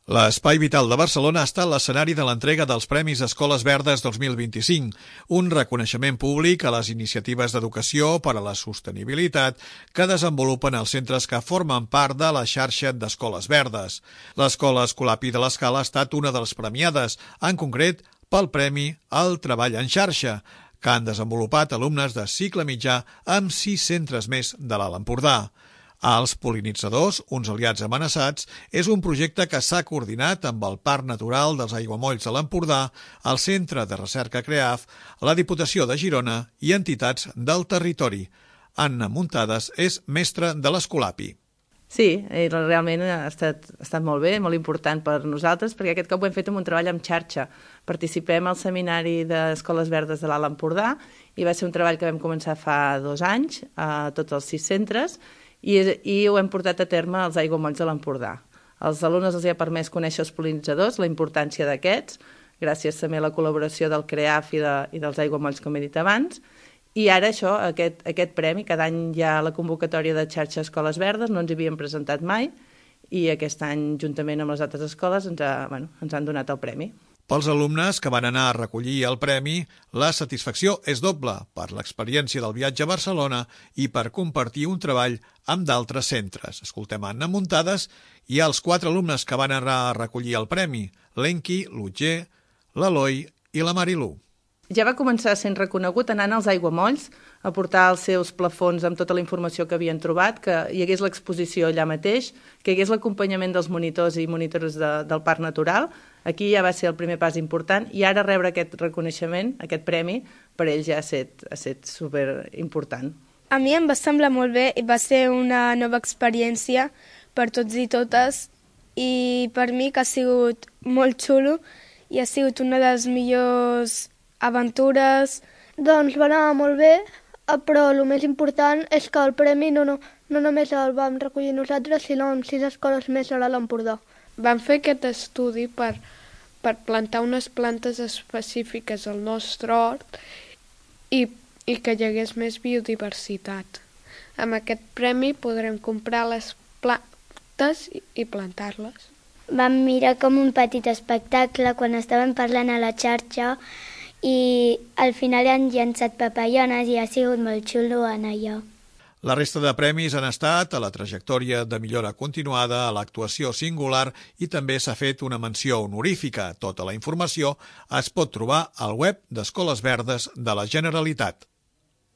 L'Espai Vital de Barcelona ha estat l'escenari de l'entrega dels Premis Escoles Verdes 2025, un reconeixement públic a les iniciatives d'educació per a la sostenibilitat que desenvolupen els centres que formen part de la xarxa d'Escoles Verdes. L'Escola Escolapi de l'Escala ha estat una de les premiades, en concret pel Premi al Treball en Xarxa, que han desenvolupat alumnes de cicle mitjà amb 6 centres més de l'Alt Empordà. Els pol·linitzadors, uns aliats amenaçats, és un projecte que s'ha coordinat amb el Parc Natural dels Aiguamolls de l'Empordà, el Centre de Recerca CREAF, la Diputació de Girona i entitats del territori. Anna Muntades és mestra de l'Escolapi. Sí, realment ha estat molt bé, molt important per nosaltres, perquè aquest cop ho hem fet amb un treball en xarxa. Participem al seminari d'Escoles Verdes de l'Alt Empordà i va ser un treball que vam començar fa 2 anys a tots els 6 centres i ho hem portat a terme als aiguamolls de l'Empordà. Als alumnes els ha permès conèixer els pol·linitzadors, la importància d'aquests, gràcies també a la col·laboració del CREAF i dels aiguamolls, com he dit abans, i ara això, aquest premi, cada any hi ha la convocatòria de xarxa Escoles Verdes, no ens hi havíem presentat mai, i aquest any, juntament amb les altres escoles, ens han donat el premi. Pels alumnes que van anar a recollir el premi, la satisfacció és doble per l'experiència del viatge a Barcelona i per compartir un treball amb d'altres centres. Escoltem Anna Muntades i els 4 alumnes que van anar a recollir el premi, l'Enki, l'Utger, l'Eloi i la Marilú. Ja va començar sent reconegut anant als aiguamolls a portar els seus plafons amb tota la informació que havien trobat, que hi hagués l'exposició allà mateix, que hi hagués l'acompanyament dels monitors i monitores del Parc Natural. Aquí ja va ser el primer pas important i ara rebre aquest reconeixement, aquest premi, per ells ja ha estat superimportant. A mi em va semblar molt bé i va ser una nova experiència per tots i totes i per mi que ha sigut molt xulo i ha sigut una de les millors aventures. Doncs va anar molt bé, però el més important és que el premi no només el vam recollir nosaltres, sinó amb 6 escoles més a l'Alt Empordà. Vam fer aquest estudi per plantar unes plantes específiques al nostre hort i que hi hagués més biodiversitat. Amb aquest premi podrem comprar les plantes i plantar-les. Vam mirar com un petit espectacle quan estàvem parlant a la xarxa i al final han llançat papallones i ha sigut molt xulo anar allà. La resta de premis han estat a la trajectòria de millora continuada, a l'actuació singular i també s'ha fet una menció honorífica. Tota la informació es pot trobar al web d'Escoles Verdes de la Generalitat.